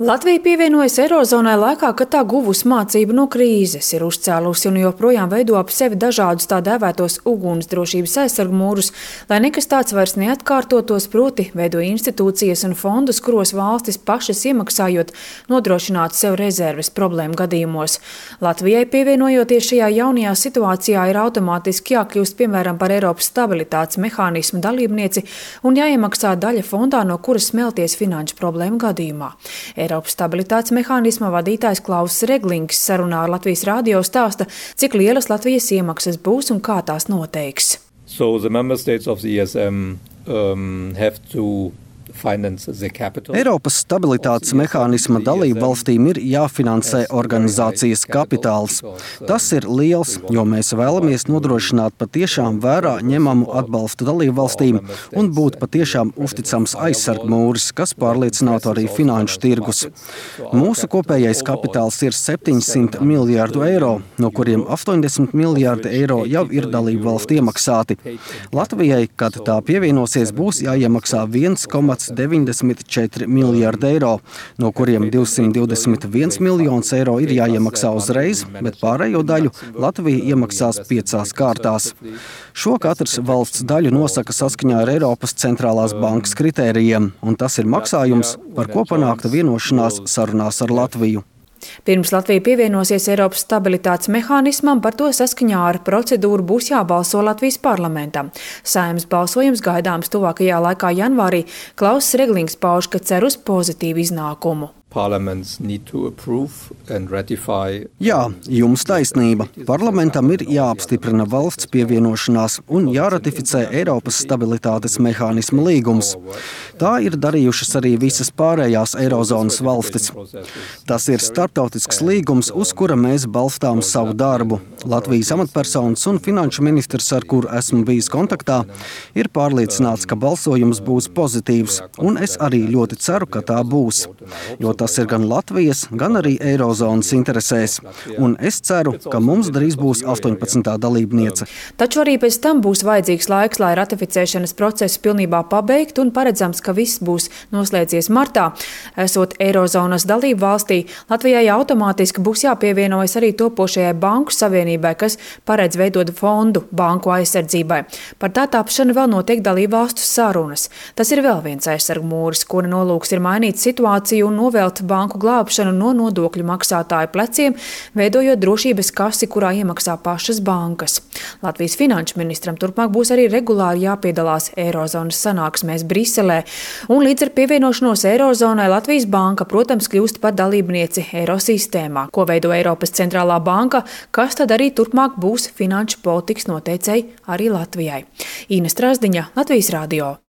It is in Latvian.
Latvija pievienojas Eirozonai laikā, kad tā guvusi mācību no krīzes, ir uzcēlusi un joprojām veido ap sevi dažādus tā dēvētos ugunsdrošības aizsargmūrus, lai nekas tāds vairs neatkārtotos, proti veido institūcijas un fondus, kuros valstis pašas iemaksājot nodrošinātu sev rezerves problēmu gadījumos. Latvijai pievienojoties šajā jaunajā situācijā ir automātiski jākļūst piemēram par Eiropas stabilitātes mehānismu dalībnieci un jāiemaksā daļa fondā, no kuras smelties finanšu problēmu gadījumā. Eiropas stabilitātes mehānisma vadītājs Klauss Reglings sarunā ar Latvijas radio stāsta, cik lielas Latvijas iemaksas būs un kā tās noteiks. So the member states of the ESM have to Eiropas stabilitātes mehānisma dalību valstīm ir jāfinansē organizācijas kapitāls. Tas ir liels, jo mēs vēlamies nodrošināt patiešām vērā ņemamu atbalstu dalību valstīm un būt patiešām uzticams aizsargmūris, kas pārliecinātu arī finanšu tirgus. Mūsu kopējais kapitāls ir 700 miljārdu eiro, no kuriem 80 miljārdi eiro jau ir dalību valstu iemaksāti. Latvijai, kad tā pievienosies, būs jāiemaksā 1,94 miljārdi eiro, no kuriem 221 miljonus eiro ir jāiemaksā uzreiz, bet pārējo daļu Latvija iemaksās 5 kārtās. Šo katrs valsts daļu nosaka saskaņā ar Eiropas centrālās bankas kritērijiem, un tas ir maksājums, par ko panākta vienošanās sarunās ar Latviju. Pirms Latvija pievienosies Eiropas stabilitātes mehānismam, par to saskaņā ar procedūru būs jābalso Latvijas parlamentam. Saeimas balsojums gaidāms tuvākajā laikā janvārī. Klauss Reglings pauž, ka cer uz pozitīvu iznākumu. Jā, jums taisnība. Parlamentam ir jāapstiprina valsts pievienošanās un jāratificē Eiropas stabilitātes mehānisma līgums. Tā ir darījušas arī visas pārējās Eirozonas valstis. Tas ir starptautisks līgums, uz kura mēs balstām savu darbu. Latvijas amatpersonas un finanšu ministrs, ar kuru esmu bijis kontaktā, ir pārliecināts, ka balsojums būs pozitīvs, un es arī ļoti ceru, ka tā būs. Jo tas ir gan Latvijas, gan arī Eirozonas interesēs. Un es ceru, ka mums drīz būs 18. dalībniece. Taču arī pēc tam būs vajadzīgs laiks, lai ratificēšanas procesu pilnībā pabeigtu un paredzams, ka viss būs noslēdzies martā. Esot Eirozonas dalību valstī, Latvijai automātiski būs jāpievienojas arī topošajai banku savienībai, kas paredz veidot fondu banku aizsardzībai. Par tā tapšanu vēl notiek dalību valstu sarunas. Tas ir vēl viens aizsargmūris, kura nolūks ir mainīt situāciju un novēlt banku glābšanu no nodokļu maksātāju pleciem, veidojot drošības kasi, kurā iemaksā pašas bankas. Latvijas finanšu ministram turpmāk būs arī regulāri jāpiedalās Eirozonas sanāksmēs Briselē, un līdz ar pievienošanos Eirozonai Latvijas banka, protams, kļūst par dalībnieci Eirosistēmā, ko veido Eiropas centrālā banka, kas tad arī turpmāk būs finanšu politikas noteicēji arī Latvijai. Ina Strasdiņa, Latvijas radio.